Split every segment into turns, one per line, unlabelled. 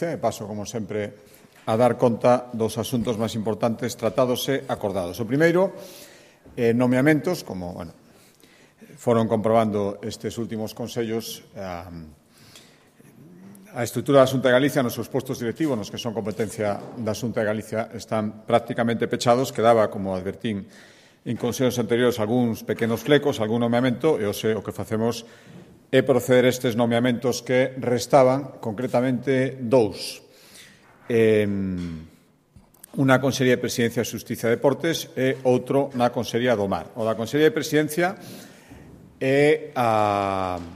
E paso, como sempre, a dar conta dos asuntos máis importantes tratados e acordados. O primeiro, nomeamentos, como foron comprobando estes últimos consellos, a estrutura da Xunta de Galicia nos seus postos directivos, nos que son competencia da Xunta de Galicia, están prácticamente pechados. Quedaba, como advertín en consellos anteriores, algúns pequenos flecos, algún nomeamento, e hoxe o que facemos é proceder a estes nomeamentos que restaban, concretamente dous. Unha Consellería de Presidencia, Xustiza e Deportes e outro na Consellería do Mar. O da Consellería de Presidencia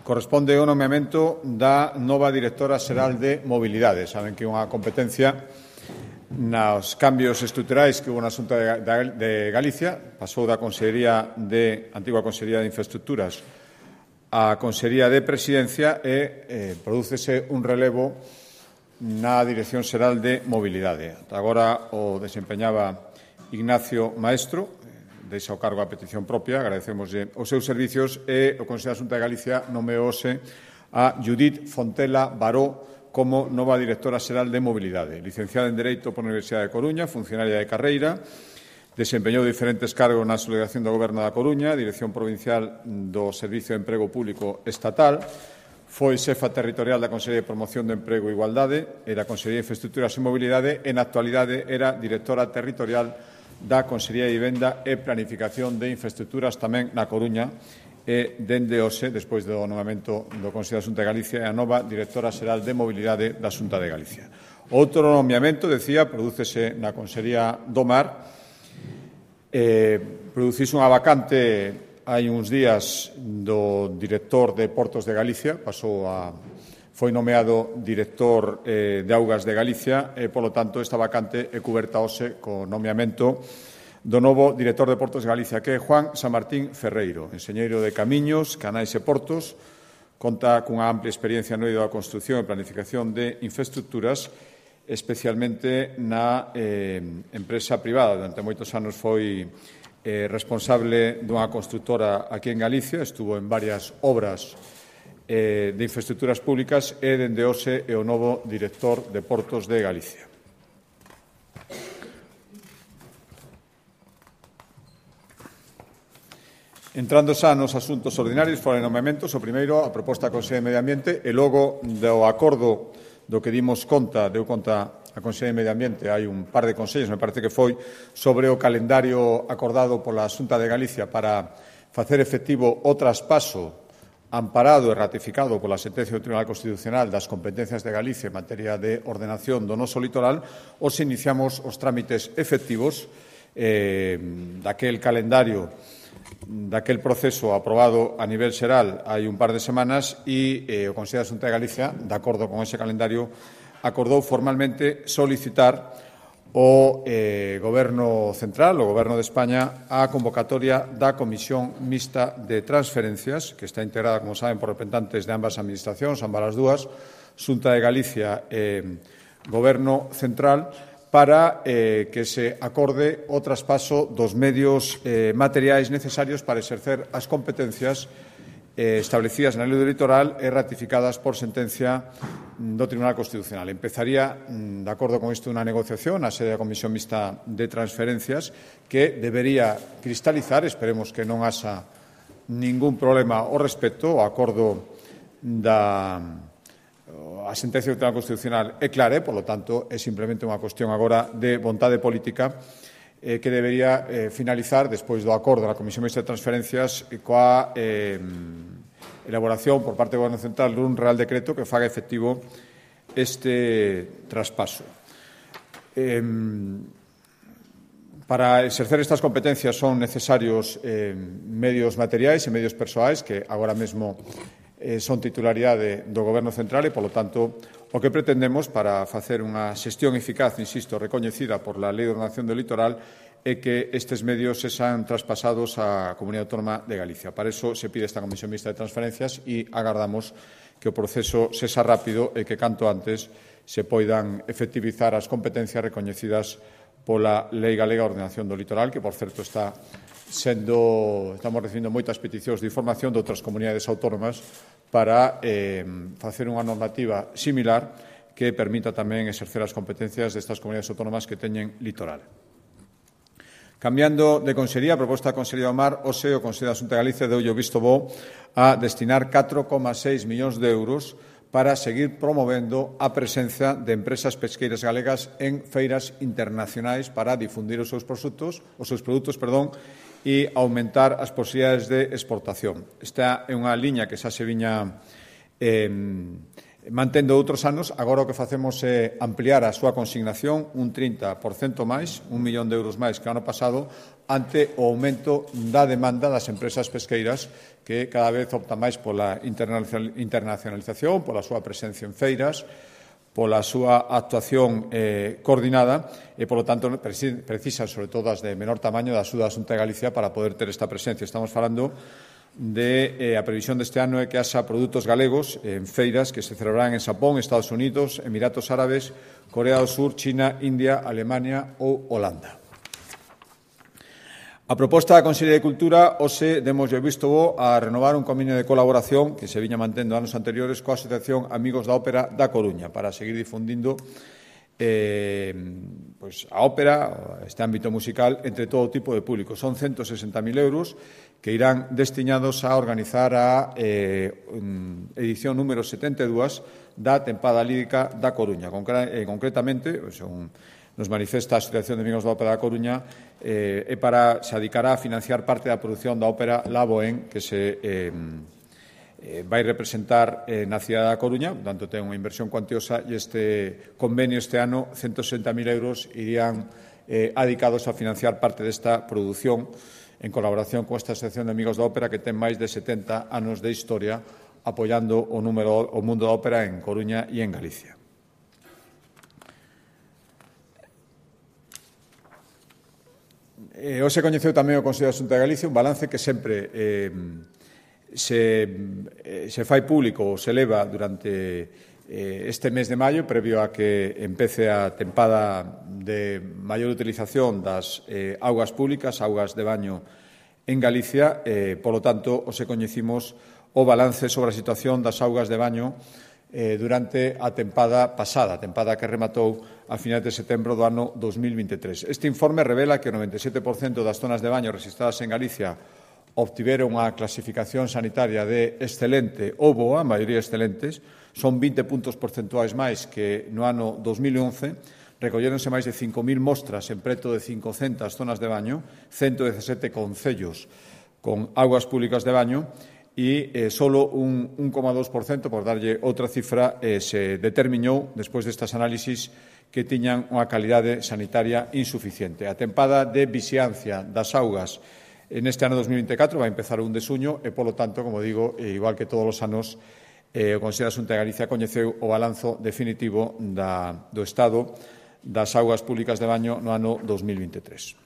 corresponde ao nomeamento da nova directora xeral de Mobilidade. Saben que é unha competencia nos cambios estruturais que houve na Xunta de Galicia. Pasou da antigua Consellería de Infraestructuras a Consellería de Presidencia e prodúcese un relevo na Dirección Xeral de Mobilidade. Agora o desempeñaba Ignacio Maestro, deixa o cargo a petición propia, agradecemoslle os seus servicios, e o Consello da Xunta de Galicia nomeouse a Judith Fontela Baró como nova directora xeral de Mobilidade. Licenciada en Dereito pola Universidade de Coruña, funcionaria de carreira, desempeñou diferentes cargos na Subdelegación do Goberno da Coruña, Dirección Provincial do Servicio de Emprego Público Estatal, foi xefa territorial da Consellería de Promoción do Emprego e Igualdade e da Consellería de Infraestructuras e Mobilidade e, na actualidade, era directora territorial da Consellería de Vivenda e Planificación de Infraestructuras tamén na Coruña e, dende hoxe, despois do nomeamento do Consello da Xunta de Galicia, é a nova directora xeral de Mobilidade da Xunta de Galicia. Outro nomeamento, decía, prodúcese na Consellería do Mar. Producise unha vacante hai uns días do director de Portos de Galicia, foi nomeado director de Augas de Galicia e, polo tanto, esta vacante é cuberta hoxe co nomeamento do novo director de Portos de Galicia, que é Juan Sanmartín Ferreiro, enxeñeiro de Camiños, Canais e Portos, conta cunha amplia experiencia no eido da construción e planificación de infraestructuras, especialmente na empresa privada. Durante moitos anos foi responsable dunha constructora aquí en Galicia, estuvo en varias obras de infraestructuras públicas e, dende hoxe, é o novo director de Portos de Galicia. Entrando xa nos asuntos ordinarios, fora de nomeamentos, o primeiro, a proposta da Consellería de Medio Ambiente, e logo do acordo do que deu conta a Consellería de Medio Ambiente, hai un par de consellos, me parece que foi, sobre o calendario acordado pola Xunta de Galicia para facer efectivo o traspaso amparado e ratificado pola sentencia do Tribunal Constitucional das competencias de Galicia en materia de ordenación do noso litoral. Os iniciamos os trámites efectivos daquel calendario, daquel proceso aprobado a nivel xeral hai un par de semanas, e o Consello da Xunta de Galicia, de acordo con ese calendario, acordou formalmente solicitar ao Goberno Central, o Goberno de España, a convocatoria da Comisión Mixta de Transferencias, que está integrada, como saben, por representantes de ambas administracións, ambas as dúas, Xunta de Galicia e Goberno Central, para que se acorde o traspaso dos medios materiais necesarios para exercer as competencias establecidas na Lei do Litoral e ratificadas por sentencia do Tribunal Constitucional. Empezaría, de acordo con isto, unha negociación na sede da Comisión Mixta de Transferencias que debería cristalizar, esperemos que non haxa ningún problema ao respecto. O acordo a sentencia do Tribunal Constitucional é clara, polo tanto, é simplemente unha cuestión agora de vontade política que debería finalizar despois do acordo da Comisión Mixta de Transferencias coa elaboración por parte do Goberno Central dun Real Decreto que faga efectivo este traspaso. Para exercer estas competencias son necesarios medios materiais e medios persoais que agora mesmo son titularidade do Goberno Central e, polo tanto, o que pretendemos para facer unha xestión eficaz, insisto, recoñecida por la Lei de Ordenación do Litoral, é que estes medios sexan traspasados á Comunidade Autónoma de Galicia. Para iso se pide esta Comisión Mixta de Transferencias e agardamos que o proceso sexa rápido e que canto antes se poidan efectivizar as competencias recoñecidas pola Lei Galega de Ordenación do Litoral, que, por certo, estamos recibindo moitas peticións de información de outras comunidades autónomas para facer unha normativa similar que permita tamén exercer as competencias destas comunidades autónomas que teñen litoral. Cambiando de consellería, a proposta da Consellería do Mar, hoxe o Consello da Xunta de Galicia deulle o visto bo a destinar 4,6 millóns de euros para seguir promovendo a presenza de empresas pesqueiras galegas en feiras internacionais para difundir os seus produtos, e aumentar as posibilidades de exportación. Esta é unha liña que xa se viña mantendo outros anos. Agora o que facemos é ampliar a súa consignación un 30% máis, 1 millón de euros máis que o ano pasado, ante o aumento da demanda das empresas pesqueiras que cada vez optan máis pola internacionalización, pola súa presencia en feiras, pola súa actuación coordinada e, polo tanto, precisan, sobre todo as de menor tamaño, da axuda da Xunta de Galicia para poder ter esta presencia. Estamos falando de a previsión deste ano é que haxa produtos galegos en feiras que se celebrarán en Xapón, Estados Unidos, Emiratos Árabes, Corea do Sur, China, India, Alemania ou Holanda. A proposta da Consellería de Cultura, hoxe demos o visto bo a renovar un convenio de colaboración que se viña mantendo anos anteriores coa Asociación Amigos da Ópera da Coruña para seguir difundindo a ópera, este ámbito musical, entre todo tipo de público. Son 160.000 euros que irán destinados a organizar a edición número 72 da tempada lírica da Coruña. Concretamente, nos manifesta a Asociación de Amigos da Ópera da Coruña, se dedicará a financiar parte da produción da ópera La Bohème, que se vai representar na cidade da Coruña, por tanto ten unha inversión cuantiosa, e este convenio este ano, 160.000 euros, irían dedicados a financiar parte desta produción en colaboración con esta Asociación de Amigos da Ópera que ten máis de 70 anos de historia apoiando o mundo da ópera en Coruña e en Galicia. Hoxe coñeceu tamén o Consello da Xunta de Galicia un balance que sempre se fai público ou se leva durante este mes de maio, previo a que empece a tempada de maior utilización das augas públicas, augas de baño en Galicia. Polo tanto, hoxe coñecimos o balance sobre a situación das augas de baño durante a tempada pasada, a tempada que rematou a finais de setembro do ano 2023. Este informe revela que o 97% das zonas de baño rexistradas en Galicia obtiveron unha clasificación sanitaria de excelente ou boa, a maioría excelentes, son 20 puntos porcentuais máis que no ano 2011, recolléronse máis de 5.000 mostras en preto de 500 zonas de baño, 117 concellos con augas públicas de baño, e solo un 1,2%, por darlle outra cifra, se determinou, despois destas análisis, que tiñan unha calidade sanitaria insuficiente. A tempada de vixiancia das augas neste ano 2024 vai empezar o 1 de xuño e, polo tanto, como digo, igual que todos os anos, o Consello da Xunta de Galicia coñeceu o balanzo definitivo do estado das augas públicas de baño no ano 2023.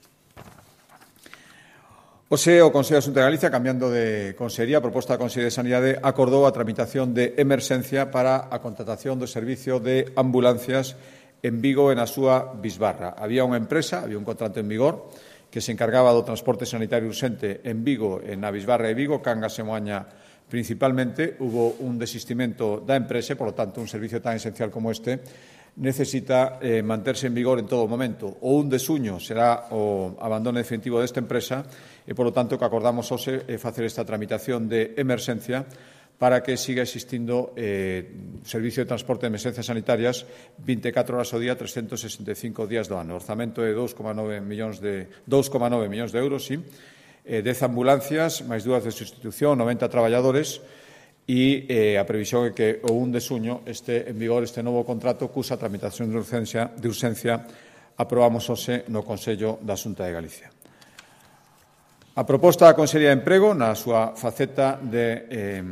Hoxe, o Consello da Xunta de Galicia, cambiando de consellería, a proposta da Consellería de Sanidade, acordou a tramitación de emerxencia para a contratación do servicio de ambulancias en Vigo e na súa bisbarra. Había unha empresa, había un contrato en vigor, que se encargaba do transporte sanitario urxente en Vigo e na bisbarra de Vigo, Cangas e Moaña principalmente. Hubo un desistimento da empresa, por lo tanto, un servicio tan esencial como este necesita manterse en vigor en todo momento. O 1 de xuño será o abandono definitivo desta empresa e, polo tanto, que acordamos hoxe é facer esta tramitación de emerxencia para que siga existindo servicio de transporte de emerxencias sanitarias 24 horas ao día, 365 días do ano. O orzamento é 2,9 millóns de euros, sí. 10 ambulancias, máis 2 de sustitución, 90 traballadores, e a previsión é que o 1 de xuño este en vigor este novo contrato cusa tramitación de urxencia aprobamos hoxe no Consello da Xunta de Galicia. A proposta da Consellería de Emprego, na súa faceta de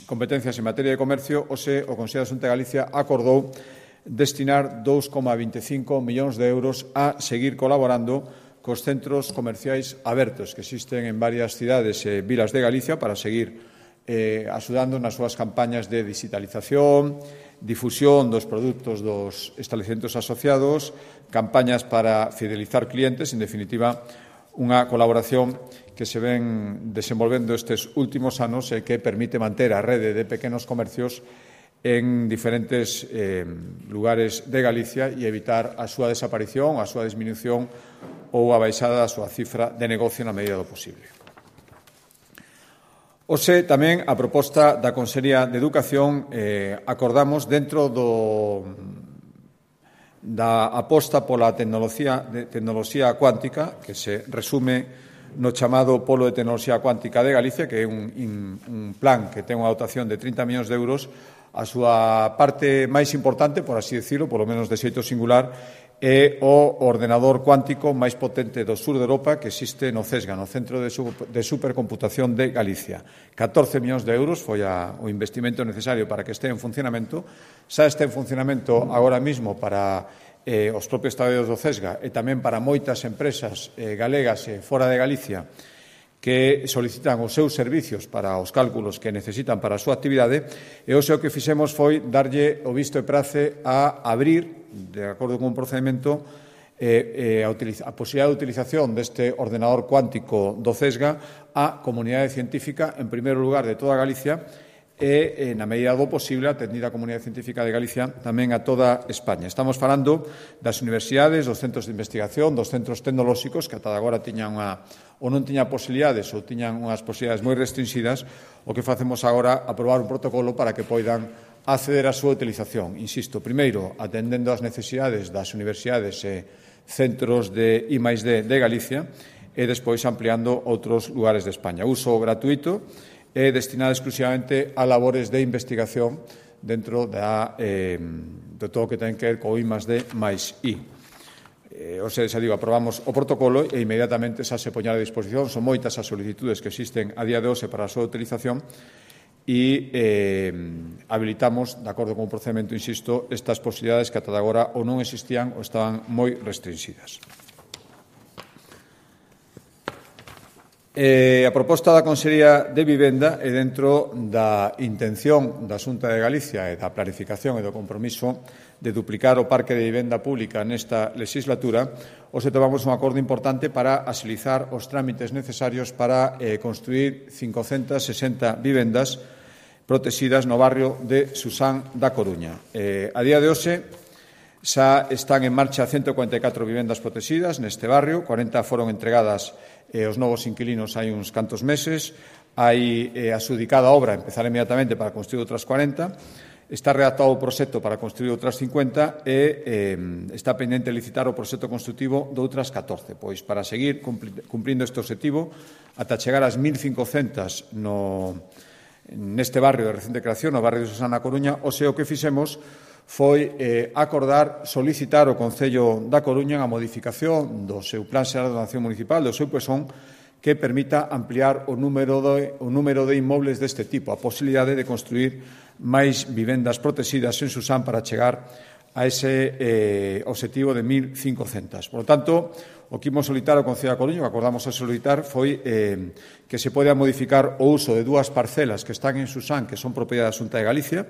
competencias en materia de comercio, hoxe o Consello da Xunta de Galicia acordou destinar 2,25 millóns de euros a seguir colaborando cos centros comerciais abertos que existen en varias cidades e vilas de Galicia para seguir axudando nas súas campañas de digitalización, difusión dos produtos dos establecementos asociados, campañas para fidelizar clientes, en definitiva, unha colaboración que se ven desenvolvendo estes últimos anos e que permite manter a rede de pequenos comercios en diferentes lugares de Galicia e evitar a súa desaparición, a súa disminución ou a baixada da súa cifra de negocio na medida do posible. Hoxe tamén a proposta da Consellería de Educación acordamos dentro da aposta pola tecnoloxía cuántica, que se resume no chamado Polo de Tecnoloxía Cuántica de Galicia, que é un plan que ten unha dotación de 30 millóns de euros. A súa parte máis importante, por así decirlo, polo menos de xeito singular, é o ordenador cuántico máis potente do sur de Europa que existe no CESGA, no Centro de Supercomputación de Galicia. 14 millóns de euros foi o investimento necesario para que este en funcionamento. Xa está en funcionamento agora mesmo para os propios traballadores do CESGA e tamén para moitas empresas galegas e fora de Galicia que solicitan os seus servicios para os cálculos que necesitan para a súa actividade, e o que fixemos foi darlle o visto e prace a abrir, de acordo con un procedimento, a posibilidade de utilización deste ordenador cuántico do CESGA á comunidade científica, en primeiro lugar, de toda Galicia, e, na medida do posible, atendida a comunidade científica de Galicia, tamén a toda España. Estamos falando das universidades, dos centros de investigación, dos centros tecnolóxicos, que ata agora tiñan ou non tiñan posibilidades ou tiñan unhas posibilidades moi restringidas. O que facemos agora é aprobar un protocolo para que poidan acceder á súa utilización. Insisto, primeiro, atendendo as necesidades das universidades e centros de I+D de Galicia e despois ampliando outros lugares de España. Uso gratuito e destinado exclusivamente a labores de investigación dentro de todo o que ten que ver co I+D máis I. Xa digo, aprobamos o protocolo e inmediatamente xa se poña a disposición. Son moitas as solicitudes que existen a día de hoxe para a súa utilización e habilitamos, de acordo con o procedimento, insisto, estas posibilidades que ata agora ou non existían ou estaban moi restringidas. A proposta da Consellería de Vivenda é dentro da intención da Xunta de Galicia e da planificación e do compromiso de duplicar o parque de vivenda pública nesta legislatura. Hoxe tomamos un acordo importante para axilizar os trámites necesarios para construir 560 vivendas protegidas no barrio de Susán da Coruña. A día de hoxe xa están en marcha 144 vivendas protegidas neste barrio, 40 foron entregadas aos novos inquilinos hai uns cantos meses, hai adxudicada a obra, empezar inmediatamente para construir outras 40, está redactado o proxecto para construir outras 50 e está pendente licitar o proxecto construtivo de outras 14, pois para seguir cumprindo este objetivo ata chegar ás 1.500 neste barrio de recente creación, no barrio de Susán da Coruña. O que fixemos foi acordar solicitar ao Concello da Coruña a modificación do seu Plan Xeral de Ordenación Municipal, do seu PESON, que permita ampliar o número de inmobles deste tipo, a posibilidade de construir máis vivendas protegidas en Susán para chegar a ese objetivo de 1.500. Por lo tanto, o que imos solicitar ao Concello da Coruña, o que acordamos a solicitar, foi que se poida modificar o uso de dúas parcelas que están en Susán, que son propiedade da Xunta de Galicia,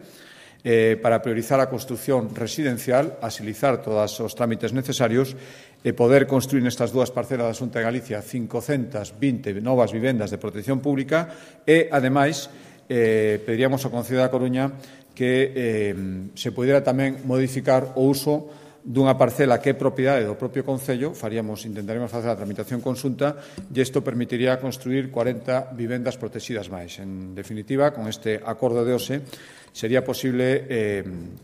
para priorizar a construción residencial, agilizar todos os trámites necesarios e poder construir nestas dúas parcelas da Xunta de Galicia 520 novas vivendas de protección pública e, ademais, pediríamos ao Concello da Coruña que se pudera tamén modificar o uso dunha parcela que é propiedade do propio Concello, intentaremos facer a tramitación conxunta e isto permitiría construir 40 vivendas protegidas máis. En definitiva, con este acordo de hoxe, sería posible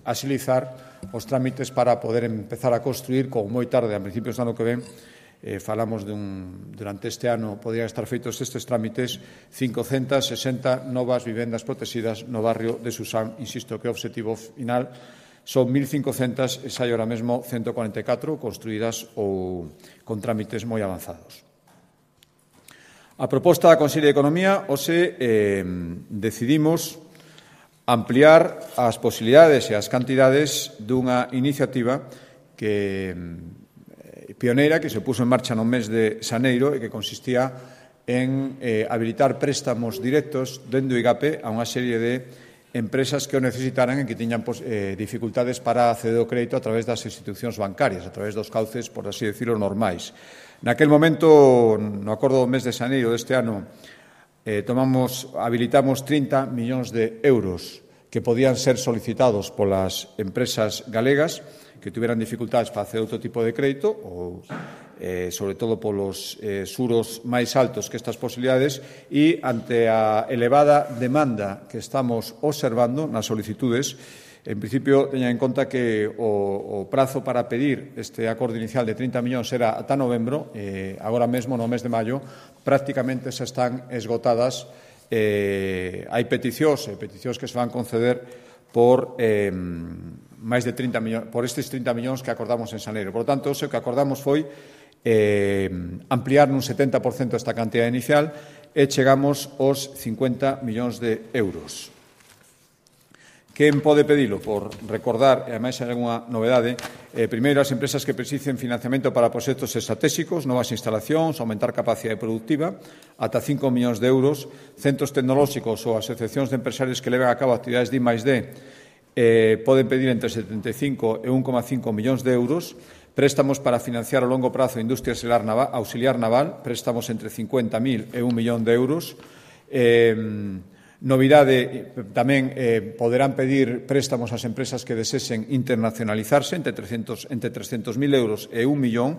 axilizar os trámites para poder empezar a construir, como moi tarde, a principios do ano que ven, falamos durante este ano, podrían estar feitos estes trámites, 560 novas vivendas protegidas no barrio de Susán. Insisto que o obxectivo final son 1.500 e sai ahora mesmo 144 construídas ou con trámites moi avanzados. A proposta da Consellería de Economía, hoxe decidimos ampliar as posibilidades e as cantidades dunha iniciativa que pioneira que se puso en marcha no mes de xaneiro e que consistía en habilitar préstamos directos dentro do IGAPE a unha serie de empresas que o necesitaran e que tiñan dificultades para acceder ao crédito a través das institucións bancarias, a través dos cauces, por así decirlo, normais. Naquel momento, no acordo do mes de xaneiro deste ano, habilitamos 30 millóns de euros que podían ser solicitados polas empresas galegas que tuveran dificultades para hacer outro tipo de crédito ou sobre todo polos xuros máis altos que estas posibilidades e ante a elevada demanda que estamos observando nas solicitudes, en principio teñan en conta que o prazo para pedir este acordo inicial de 30 millóns era ata novembro, agora mesmo no mes de maio prácticamente se están esgotadas. Hai peticións que se van conceder por máis de 30 millóns, por estes 30 millóns que acordamos en xaneiro. Por lo tanto, o que acordamos foi ampliar nun 70% esta cantidad inicial e chegamos aos 50 millóns de euros. Quen pode pedilo? Por recordar, e ademais hai algunha novedade, primeiro as empresas que precisen financiamento para proxectos estratégicos, novas instalacións, aumentar capacidade productiva, ata 5 millóns de euros, centros tecnolóxicos ou asociacións de empresarios que leven a cabo actividades de I+D, poden pedir entre 75 e 1,5 millóns de euros, préstamos para financiar a longo prazo a industria auxiliar naval, préstamos entre 50.000 e 1 millón de euros. Novidade, tamén poderán pedir préstamos ás empresas que desesen internacionalizarse entre 300.000 euros e 1 millón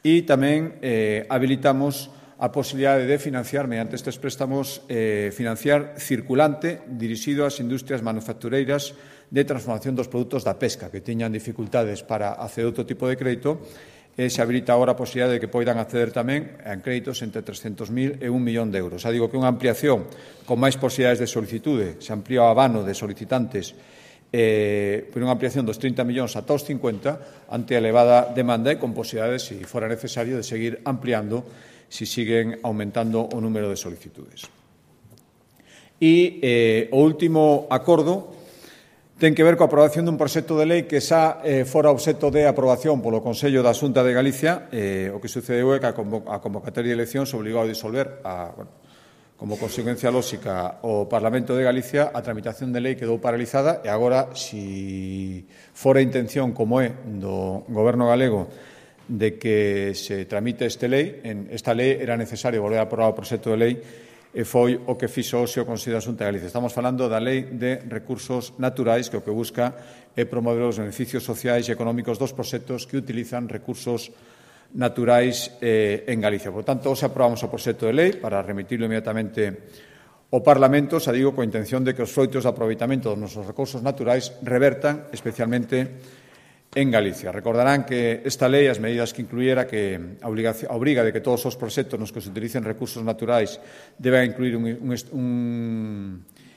e tamén habilitamos a posibilidade de financiar, mediante estes préstamos, financiar circulante dirixido ás industrias manufactureiras de transformación dos produtos da pesca, que tiñan dificultades para acceder a outro tipo de crédito, e se habilita agora a posibilidade de que poidan acceder tamén a créditos entre 300.000 e 1 millón de euros. Xa digo que unha ampliación con máis posibilidades de solicitude, se amplía o abano de solicitantes por unha ampliación dos 30 millóns ata os 50 ante a elevada demanda e con posibilidades, se fora necesario, de seguir ampliando se siguen aumentando o número de solicitudes. E o último acordo ten que ver coa aprobación dun proxecto de lei que xa fora obxecto de aprobación polo Consello da Xunta de Galicia. O que sucedeu é que a convocatoria de eleccións obligou a disolver, como consecuencia lóxica, o Parlamento de Galicia. A tramitación de lei quedou paralizada e agora, se fora a intención, como é do Goberno galego, de que se tramite esta lei era necesario volver a aprobar o proxecto de lei e foi o que fixo hoxe o Consello da Xunta de Galicia. Estamos falando da Lei de Recursos Naturais, que o que busca é promover os beneficios sociais e económicos dos proxectos que utilizan recursos naturais en Galicia. Por tanto, hoxe aprobamos o proxecto de lei para remitirlo inmediatamente ao Parlamento, xa digo, coa intención de que os froitos de aproveitamento dos nosos recursos naturais revertan especialmente en Galicia. Recordarán que esta lei, as medidas que incluíra, que obriga de que todos os proxectos nos que se utilicen recursos naturais deben incluir un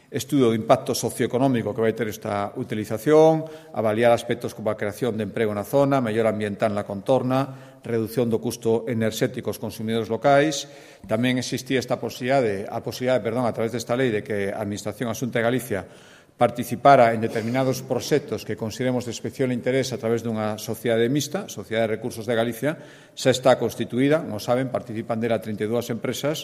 estudo de impacto socioeconómico que vai ter esta utilización, avaliar aspectos como a creación de emprego na zona, mellora ambiental na contorna, reducción do custo enerxético aos consumidores locais. Tamén existía a posibilidade, a través desta lei, de que a Administración a Xunta de Galicia participara en determinados proxectos que consideremos de especial interés a través dunha sociedade mixta, Sociedade de Recursos de Galicia. Xa está constituída, como saben, participan dela 32 empresas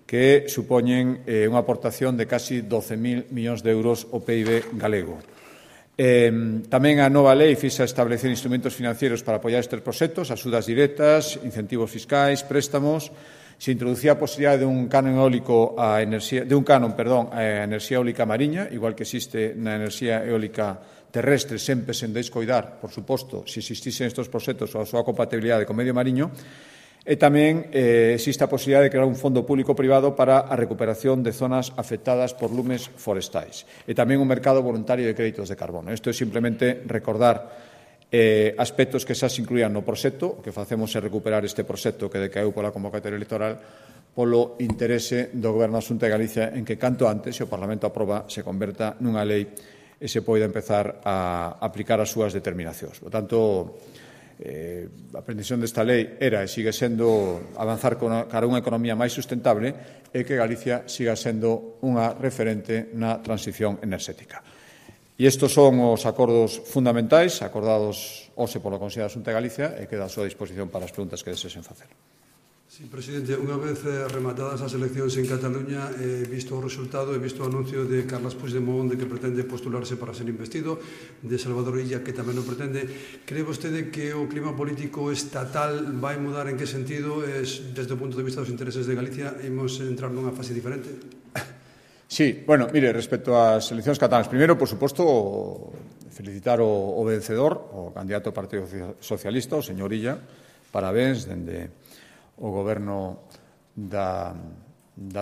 que supoñen unha aportación de casi 12.000 millóns de euros ao PIB galego. Tamén a nova lei fixa establecer instrumentos financieros para apoiar estes proxectos, axudas directas, incentivos fiscais, préstamos. Se introducía a posibilidade dun canon eólico a enerxía eólica mariña, igual que existe na enerxía eólica terrestre, sempre sen descoidar, por suposto, se existisen estes proxectos ou a súa compatibilidade co medio mariño. E tamén existe a posibilidade de crear un fondo público-privado para a recuperación de zonas afectadas por lumes forestais. E tamén un mercado voluntario de créditos de carbono. Isto é simplemente recordar aspectos que xa se incluían no proxecto. O que facemos é recuperar este proxecto que decaeu pola convocatoria electoral polo interese do Goberno da Xunta de Galicia en que canto antes, se o Parlamento aproba, se converta nunha lei e se poida empezar a aplicar as súas determinacións. Por tanto, a pretensión desta lei era e sigue sendo avanzar cara a unha economía máis sustentable e que Galicia siga sendo unha referente na transición enerxética. E estes son os acordos fundamentais acordados hoxe polo Consello da Xunta de Galicia e queda a súa disposición para as preguntas que desexen facer.
Sí, presidente, unha vez rematadas as eleccións en Cataluña, visto o resultado e visto o anuncio de Carles Puigdemont de que pretende postularse para ser investido, de Salvador Illa que tamén o pretende, cree vostede que o clima político estatal vai mudar? En que sentido? Desde o punto de vista dos intereses de Galicia, imos entrar nunha fase diferente?
Sí, bueno, mire, respecto ás eleccións catalanas, primeiro, por suposto, felicitar o vencedor, o candidato ao Partido Socialista, o señor Illa, parabéns dende o goberno da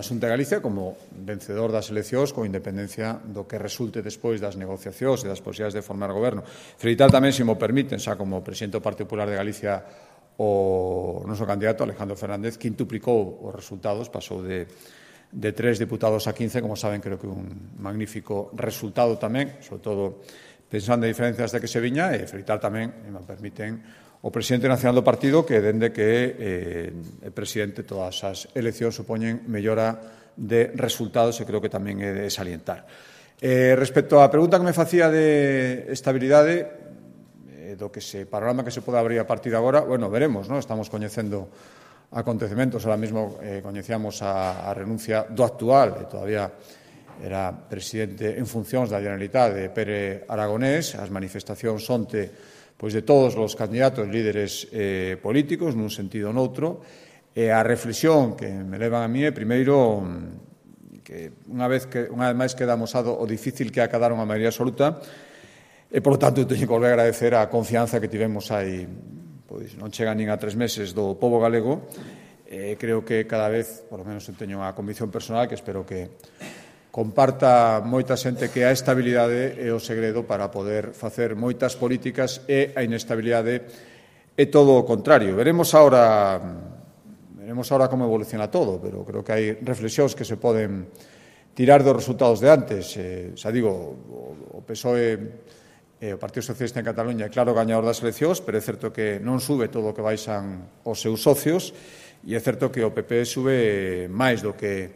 Xunta de Galicia como vencedor das eleccións con independencia do que resulte despois das negociacións e das posibilidades de formar goberno. Felicitar tamén, se mo permiten, xa como presidente do Partido Popular de Galicia, o noso candidato Alejandro Fernández, que quintuplicou os resultados, pasou de 3 diputados a 15, como saben, creo que un magnífico resultado tamén, sobre todo pensando en diferencias de que se viña, e felicitar tamén, e me permiten, o presidente nacional do partido, que dende que é presidente todas as eleccións supoñen mellora de resultados, e creo que tamén é de salientar. Respecto á pregunta que me facía de estabilidade, do que panorama que se pode abrir a partir de agora, bueno, veremos, non? Estamos coñecendo acontecementos, ahora mesmo coñecíamos a renuncia do actual, e todavía era presidente en funcións da Generalitat de Pere Aragonés, as manifestacións onte pois de todos os candidatos líderes políticos, nun sentido ou noutro, e a reflexión que me levan a mí é, primeiro, que unha vez máis queda amosado o difícil que é acadar unha maioría absoluta, e, por lo tanto, teño que volver a agradecer a confianza que tivemos hai, pois non chega nin a 3 meses do pobo galego. Creo que cada vez, por lo menos, teño unha convicción personal que espero que comparta moita xente que a estabilidade é o segredo para poder facer moitas políticas, e a inestabilidade é todo o contrario. Veremos ahora como evoluciona todo, pero creo que hai reflexións que se poden tirar dos resultados de antes. Xa digo, o PSOE, o Partido Socialista en Cataluña, é claro gañador das eleccións, pero é certo que non sube todo o que baixan os seus socios, e é certo que o PP sube máis do que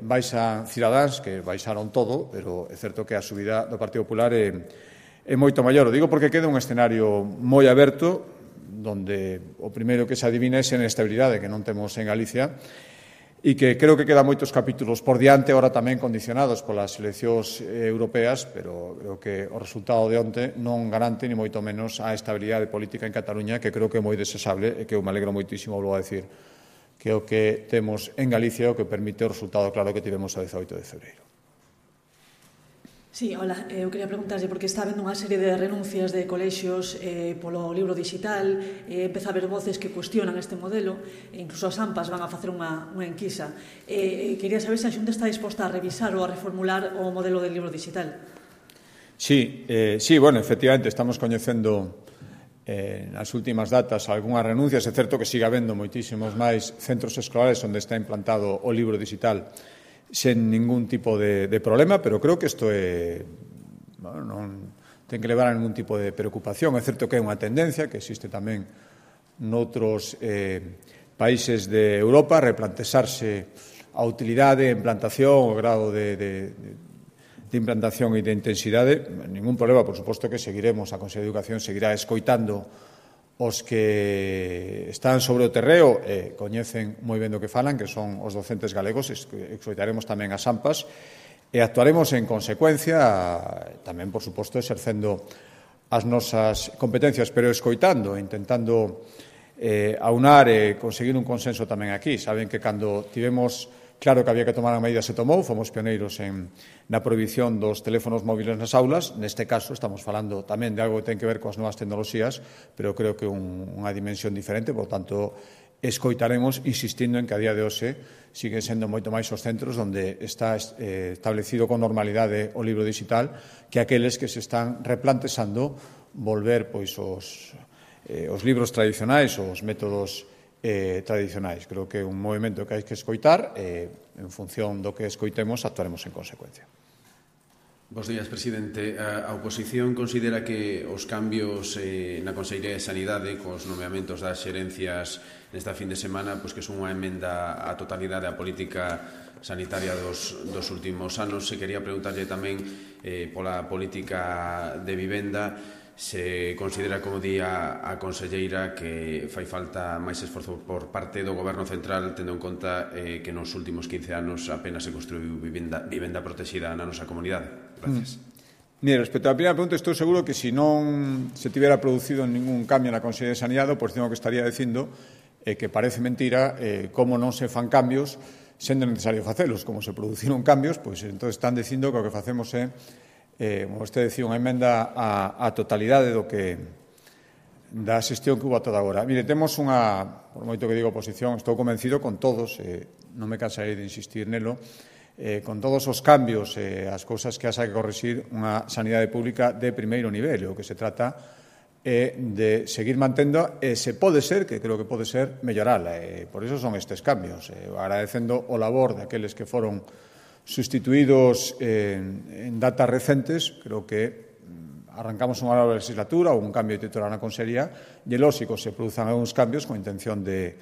baixan Cidadáns, que baixaron todo, pero é certo que a subida do Partido Popular é moito maior. O digo porque queda un escenario moi aberto, donde o primeiro que se adivina é a inestabilidade que non temos en Galicia, e que creo que quedan moitos capítulos por diante, ahora tamén condicionados polas eleccións europeas, pero creo que o resultado de onte non garante ni moito menos a estabilidade política en Cataluña, que creo que é moi desexable e que eu me alegro moitísimo, vou a decir, que é o que temos en Galicia, o que permite o resultado claro que tivemos a 18 de febreiro.
Sí, hola, eu quería preguntarlle, porque está habendo unha serie de renuncias de colexios polo libro digital, empeza a haber voces que cuestionan este modelo, e incluso as AMPAs van a facer unha enquisa. Quería saber se a Xunta está disposta a revisar ou a reformular o modelo del libro digital.
Sí, bueno, efectivamente, estamos coñecendo nas últimas datas algunhas renuncias. É certo que siga habendo moitísimos máis centros escolares onde está implantado o libro digital sen ningún tipo de problema, pero creo que isto non ten que levar a ningún tipo de preocupación. É certo que é unha tendencia que existe tamén noutros países de Europa, replantexarse a utilidade, a implantación, o grado de implantación e de intensidade. Ningún problema, por suposto que seguiremos, a Consellería de Educación seguirá escoitando os que están sobre o terreo e coñecen moi ben do que falan, que son os docentes galegos. Escoitaremos tamén as AMPAs e actuaremos en consecuencia, tamén, por suposto, exercendo as nosas competencias, pero escoitando, intentando aunar e conseguir un consenso tamén aquí. Saben que cando tivemos claro que había que tomar a medida, se tomou, fomos pioneiros na prohibición dos teléfonos móviles nas aulas. Neste caso estamos falando tamén de algo que ten que ver coas novas tecnoloxías, pero creo que unha dimensión diferente, por tanto, escoitaremos insistindo en que a día de hoxe siguen sendo moito máis os centros onde está establecido con normalidade o libro digital que aqueles que se están replantexando volver pois os libros tradicionais, os métodos tradicionais. Creo que é un movimento que hai que escoitar e, en función do que escoitemos, actuaremos en consecuencia.
Bos días, presidente. A oposición considera que os cambios na Consellería de Sanidade cos nomeamentos das xerencias nesta fin de semana pois que son unha emenda á totalidade á política sanitaria dos últimos anos. Se quería preguntarlle tamén pola política de vivenda, se considera, como di a conselleira, que fai falta máis esforzo por parte do Goberno Central, tendo en conta que nos últimos 15 anos apenas se construiu vivenda protexida na nosa comunidade. Gracias.
Mire, respecto á primeira pregunta, estou seguro que se non se tivera producido ningún cambio na Consellería de Sanidade, pois tengo que estaría dicindo que parece mentira como non se fan cambios sendo necesario facelos. Como se produciron cambios, pois entón están dicindo que o que facemos é, como vostede decía, unha emenda á totalidade da xestión que hubo ata agora. Mire, temos unha, por moito que digo oposición, estou convencido con todos, non me cansarei de insistir nelo, con todos os cambios e as cousas que haxa que corrixir unha sanidade pública de primeiro nivel. O que se trata de seguir mantendo e, se pode ser, que creo que pode ser, mellorala. Por iso son estes cambios. Agradecendo o labor daqueles que foron sustituídos en datas recentes, creo que arrancamos unha nova legislatura ou un cambio de titular na Consellería e, lógico, se produzan algúns cambios con intención de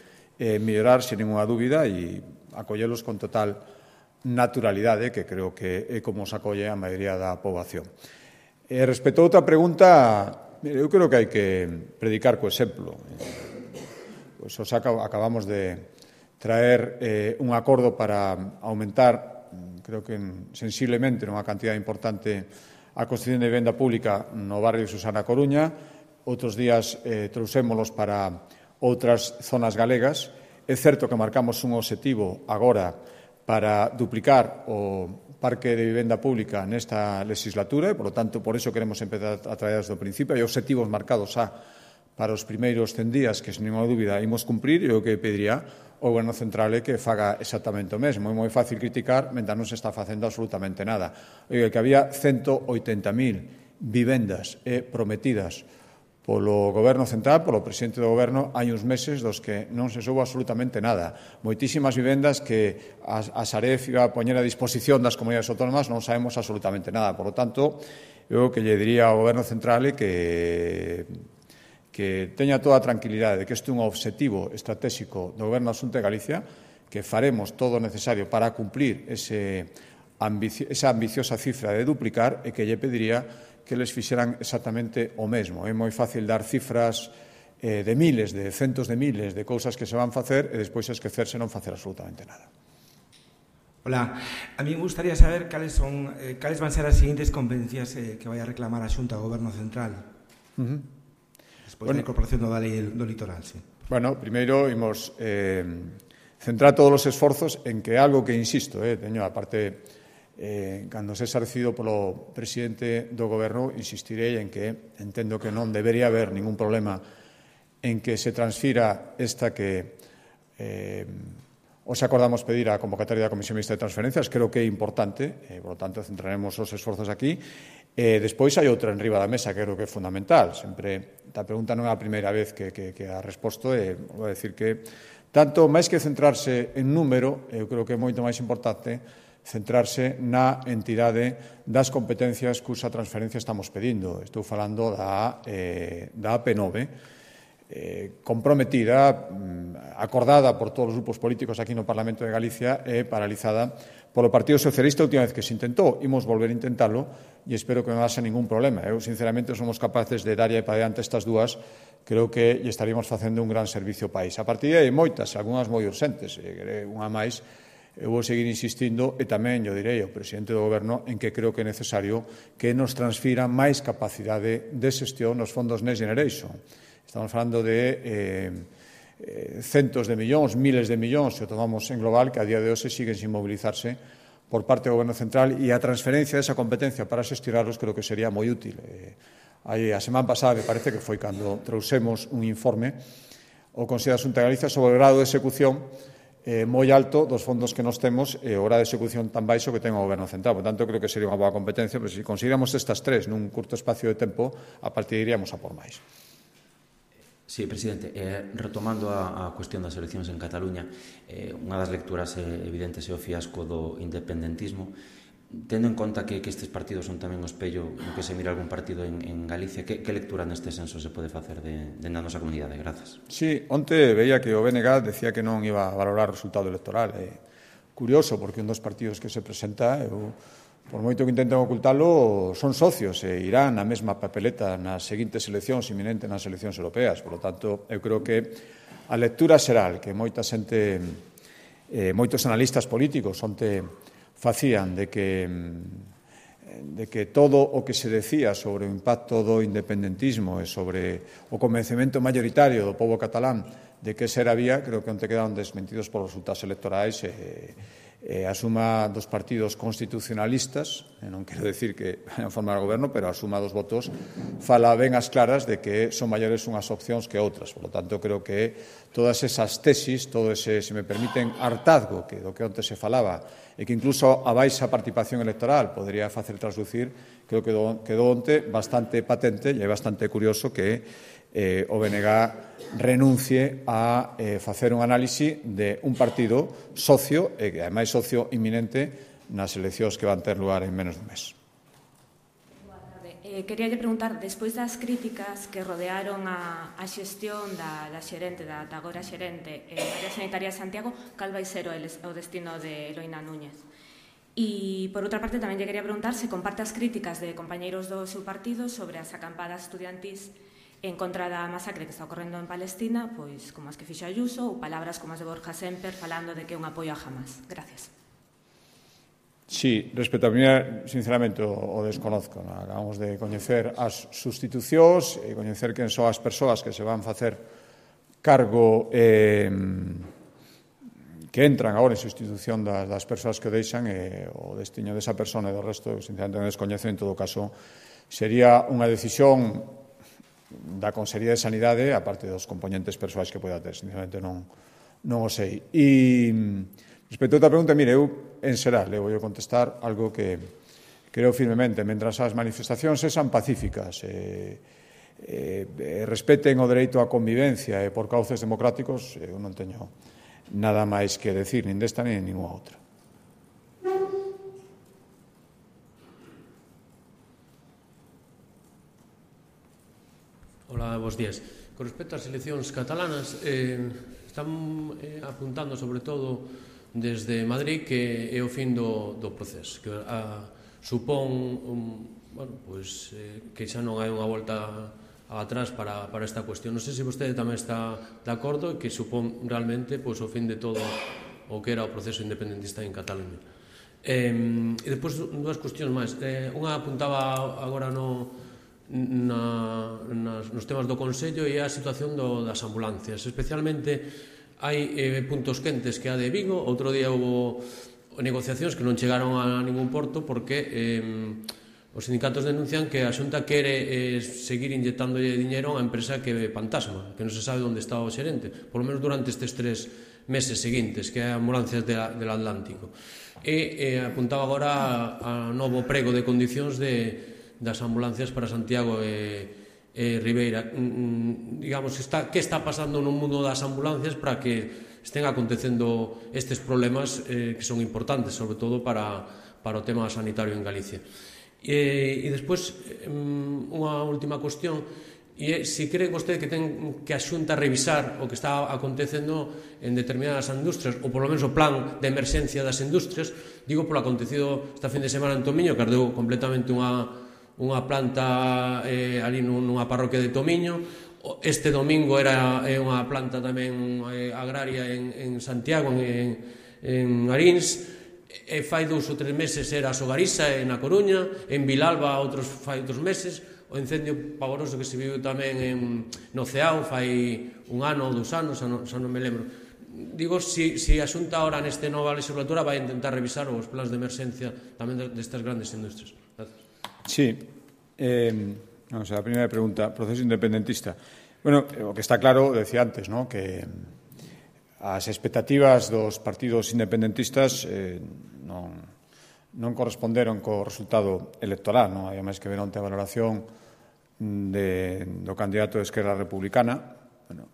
mellorar, sin ninguna dúbida, e acollelos con total naturalidade, que creo que é como se acolle a maioría da poboación. Respecto a outra pregunta, eu creo que hai que predicar co exemplo. Pois acabamos de traer un acordo para aumentar, creo que sensiblemente, nunha cantidad importante, a construción de vivenda pública no barrio de Susana Coruña. Outros días trouxémolos para outras zonas galegas. É certo que marcamos un obxectivo agora para duplicar o parque de vivenda pública nesta legislatura e, por lo tanto, por iso queremos empezar a traer desde o principio. Hai obxectivos marcados para os primeiros 100 días que, sin ninguna dúbida, imos cumprir, e o que pediría o Goberno Central é que faga exactamente o mesmo. É moi fácil criticar mentre non se está facendo absolutamente nada. Que había 180.000 vivendas prometidas polo Goberno Central, polo presidente do Goberno, hai uns meses dos que non se soubo absolutamente nada. Moitísimas vivendas que a Saref iba a poñer a disposición das comunidades autónomas, non sabemos absolutamente nada. Por lo tanto, eu que lle diría ao Goberno Central é que teña toda a tranquilidade de que este é un obxectivo estratégico do Goberno Xunta de Galicia, que faremos todo o necesario para cumplir esa ambiciosa cifra de duplicar, e que lle pediría que les fixeran exactamente o mesmo. É moi fácil dar cifras de miles, de centos de miles de cousas que se van facer e despois esquecerse non facer absolutamente nada.
Hola, a mí me gustaría saber cales van a ser as seguintes competencias que vai a reclamar a Xunta ao Goberno Central despois da incorporación da lei do litoral. Sí. Bueno,
primeiro imos centrar todos os esforzos en que algo que, insisto, teño a parte... cando se recibido polo presidente do Goberno, insistirei en que entendo que non debería haber ningún problema en que se transfira esta que os acordamos pedir a convocatoria da Comisión Mixta de Transferencias. Creo que é importante, por lo tanto, centraremos os esforzos aquí. Despois hai outra en riba da mesa que creo que é fundamental. Sempre, a pregunta non é a primeira vez que a resposto, vou decir que tanto máis que centrarse en número, eu creo que é moito máis importante centrarse na entidade das competencias cusa transferencia estamos pedindo. Estou falando da AP9, comprometida, acordada por todos os grupos políticos aquí no Parlamento de Galicia e paralizada polo Partido Socialista a última vez que se intentou. Imos volver a intentalo e espero que non haxa ningún problema. Eu, sinceramente, somos capaces de dar para diante estas dúas. Creo que estaríamos facendo un gran servicio ao país. A partir de aí, moitas, algunhas moi urxentes, unha máis. Eu vou seguir insistindo, e tamén eu direi ao presidente do Goberno, en que creo que é necesario que nos transfira máis capacidade de xestión nos fondos Next Generation. Estamos falando de centos de millóns, miles de millóns, se o tomamos en global, que a día de hoxe siguen sin mobilizarse por parte do Goberno Central, e a transferencia desa competencia para xestionarlos creo que sería moi útil. A semana pasada, me parece que foi cando trouxemos un informe ao Consello da Xunta de Galicia sobre o grado de execución moi alto dos fondos que nos temos e o grado de execución tan baixo que ten o Goberno Central. Por tanto, creo que sería unha boa competencia, pero se conseguiramos estas tres nun curto espacio de tempo, a partir iríamos a por máis.
Sí, presidente, retomando a cuestión das eleccións en Cataluña, unha das lecturas evidentes é o fiasco do independentismo. Tendo en conta que estes partidos son tamén o espello no que se mira algún partido en Galicia, que lectura neste senso se pode facer de na nosa comunidade? Grazas.
Sí, onte veía que o BNG decía que non iba a valorar o resultado electoral. Curioso, porque un dos partidos que se presenta, por moito que intenten ocultalo, son socios e irán na mesma papeleta nas seguintes eleccións inminentes nas eleccións europeas. Por lo tanto, eu creo que a lectura será que moita xente, moitos analistas políticos onte facían de que que todo o que se decía sobre o impacto do independentismo e sobre o convencemento mayoritario do pobo catalán de que esa era a vía, creo que onte quedaron desmentidos por resultados electorais a suma dos partidos constitucionalistas, non quero decir que vayan a formar o goberno, pero a suma dos votos fala ben as claras de que son maiores unhas opcións que outras. Por lo tanto, creo que todas esas tesis, todo ese, se me permiten, hartazgo do que onte se falaba e que incluso a baixa participación electoral podría facer traslucir, creo que quedou onte bastante patente e é bastante curioso que o BNG renuncie a facer un análise de un partido socio, e que ademais socio inminente nas eleccións que van ter lugar en menos dun mes.
Quería preguntar, despois das críticas que rodearon a xestión da xerente, da agora xerente área sanitaria de Santiago, cal vai ser o destino de Eloína Núñez? E, por outra parte, tamén lle quería preguntar se comparte as críticas de compañeiros do seu partido sobre as acampadas estudiantís en contra da masacre que está ocorrendo en Palestina, pois como as que fixo Ayuso, ou palabras como as de Borja Semper falando de que é un apoio a Hamas. Gracias.
Sí, respecto a primeira, sinceramente, o desconozco. Acabamos de coñecer as sustitucións e coñecer quen son as persoas que se van facer cargo que entran agora en sustitución das persoas que deixan o destino desa persona e do resto, sinceramente, non descoñezo. En todo caso, sería unha decisión da Consellería de Sanidade, a parte dos componentes persoais que poida ter. Sinceramente, non o sei. E respecto a outra pregunta, mire, eu en xeral vou contestar algo que creo firmemente. Mentras as manifestacións sexan pacíficas, respeten o dereito á convivencia e por cauces democráticos, eu non teño nada máis que decir, nin desta nin ninguna outra.
Hola, bons días. Con respecto ás eleccións catalanas, están apuntando sobre todo desde Madrid que é o fin do proceso, que supón que xa non hai unha volta atrás para esta cuestión. Non sei se vostede tamén está de acordo e que supón realmente o fin de todo o que era o proceso independentista en Cataluña. E depois dúas cuestións máis. Unha apuntaba agora nos temas do Consello e a situación das ambulancias. Especialmente hai puntos quentes que a de Vigo. Outro día houve negociacións que non chegaron a ningún porto porque os sindicatos denuncian que a Xunta quere seguir inyectándolle diñeiro a unha empresa que é fantasma, que non se sabe onde está o xerente, polo menos durante estes 3 meses seguintes, que é Ambulancias del Atlántico. E apuntaba agora a novo prego de condicións das ambulancias para Santiago e Ribeira. Digamos, que está pasando no mundo das ambulancias para que estén acontecendo estes problemas que son importantes, sobre todo para o tema sanitario en Galicia. E despois, unha última cuestión, e se cree vostede que ten que a Xunta revisar o que está acontecendo en determinadas industrias, ou polo menos o plan de emerxencia das industrias, digo polo acontecido esta fin de semana en Tomiño, que ardeu completamente unha planta ali nunha parroquia de Tomiño. Este domingo era unha planta tamén agraria en Santiago, en Arins. Fai 2 ou 3 meses era a Sogarisa na Coruña, en Vilalba fai 2 meses, o incendio pavoroso que se viu tamén no Ceao fai 1 ano ou 2 anos, xa non me lembro. Digo, se a Xunta ahora nesta nova legislatura vai intentar revisar os plans de emerxencia tamén destas grandes industrias. Gracias.
Sí. Vamos a la primeira pregunta, proceso independentista. Bueno, o que está claro, decía antes, ¿no?, que as expectativas dos partidos independentistas non corresponderon co resultado electoral, non? Hai máis que ver onte a valoración do candidato de Esquerra Republicana. Bueno,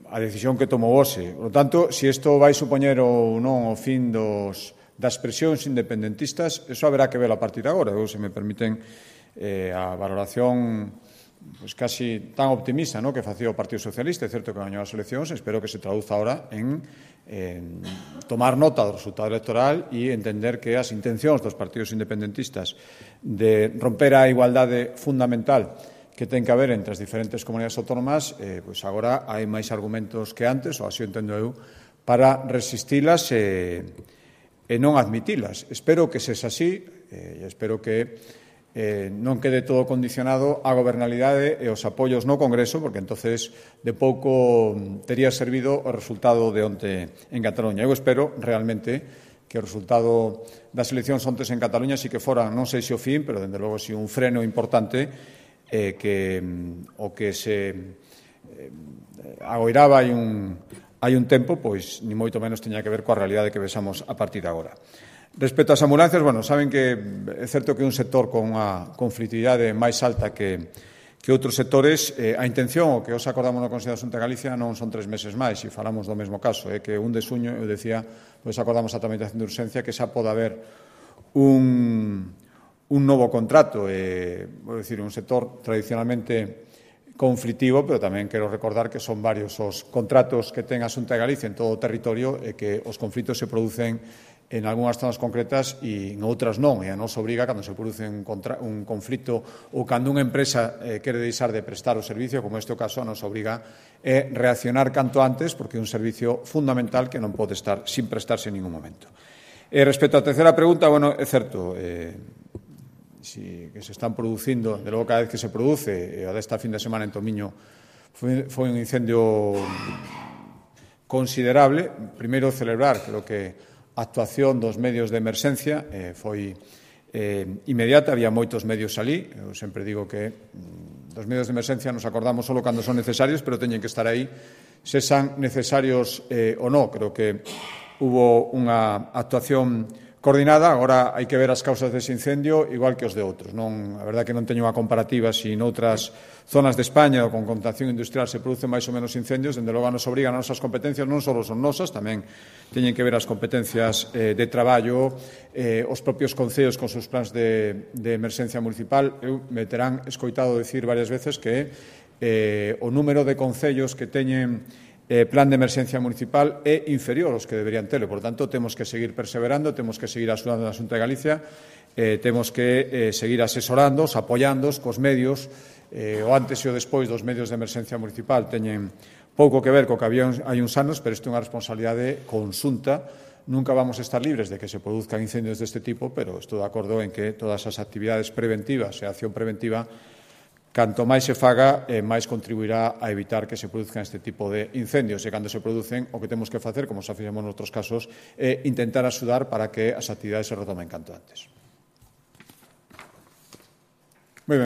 a decisión que tomou hoxe. Por lo tanto, se isto vai supoñer ou non o fin das presións independentistas, eso haberá que ver a partir de agora. Se me permiten a valoración casi tan optimista, que facía o Partido Socialista, é certo que gañou as eleccións, espero que se traduza ahora en tomar nota do resultado electoral e entender que as intencións dos partidos independentistas de romper a igualdade fundamental que ten que haber entre as diferentes comunidades autónomas, pois agora hai máis argumentos que antes, ou así entendo eu, para resistilas e e non admitilas. Espero que sexa así e espero que non quede todo condicionado á gobernabilidade e aos apoios no Congreso, porque entonces de pouco tería servido o resultado de onte en Cataluña. Eu espero realmente que o resultado das eleccións ontes en Cataluña sí que fora, non sei se o fin, pero dende logo si un freno importante que o que se agoiraba hai un tempo, pois ni moito menos teña que ver coa realidade que vexamos a partir de agora. Respecto ás ambulancias, bueno, saben que é certo que é un sector con unha conflitividade máis alta que outros sectores. A intención, o que os acordamos no Consello da Xunta de Galicia, non son 3 meses máis, e falamos do mesmo caso, que 1 de xuño, eu decía, pois acordamos a tramitación de urxencia que xa pode haber un novo contrato, vou dicir, un sector tradicionalmente conflitivo, pero tamén quero recordar que son varios os contratos que ten a Xunta de Galicia en todo o territorio e que os conflitos se producen en algunhas zonas concretas e en outras non, e a nos obriga, cando se produce un conflito ou cando unha empresa quere deixar de prestar o servicio, como este o caso, a nos obriga a reaccionar canto antes, porque é un servicio fundamental que non pode estar sin prestarse en ningún momento. Respecto á terceira pregunta, bueno, é certo, que se están producindo, de logo cada vez que se produce, a desta fin de semana en Tomiño foi un incendio considerable. Primeiro, celebrar, creo que a actuación dos medios de emerxencia foi inmediata, había moitos medios alí. Eu sempre digo que dos medios de emerxencia nos acordamos só cando son necesarios, pero teñen que estar aí se son necesarios ou non. Creo que hubo unha actuación coordinada. Agora hai que ver as causas dese incendio igual que os de outros. A verdade que non teño unha comparativa se noutras zonas de España ou con contaminación industrial se producen máis ou menos incendios. Dende logo nos obrigan as nosas competencias, non só son nosas, tamén teñen que ver as competencias de traballo, os propios concellos con seus plans de emerxencia municipal. Eu me terán escoitado dicir varias veces que o número de concellos que teñen plan de emerxencia municipal é inferior aos que deberían telo. Por tanto, temos que seguir perseverando, temos que seguir axudando a Xunta de Galicia, temos que seguir asesorándoos, apoiándoos cos medios. O antes e o despois dos medios de emerxencia municipal teñen pouco que ver co que había hai uns anos, pero isto é unha responsabilidade conxunta. Nunca vamos a estar libres de que se produzcan incendios deste tipo, pero estou de acordo en que todas as actividades preventivas e a acción preventiva, canto máis se faga, máis contribuirá a evitar que se produzcan este tipo de incendios. E cando se producen, o que temos que facer, como xa fixemos noutros casos, é intentar axudar para que as actividades se retomen canto antes.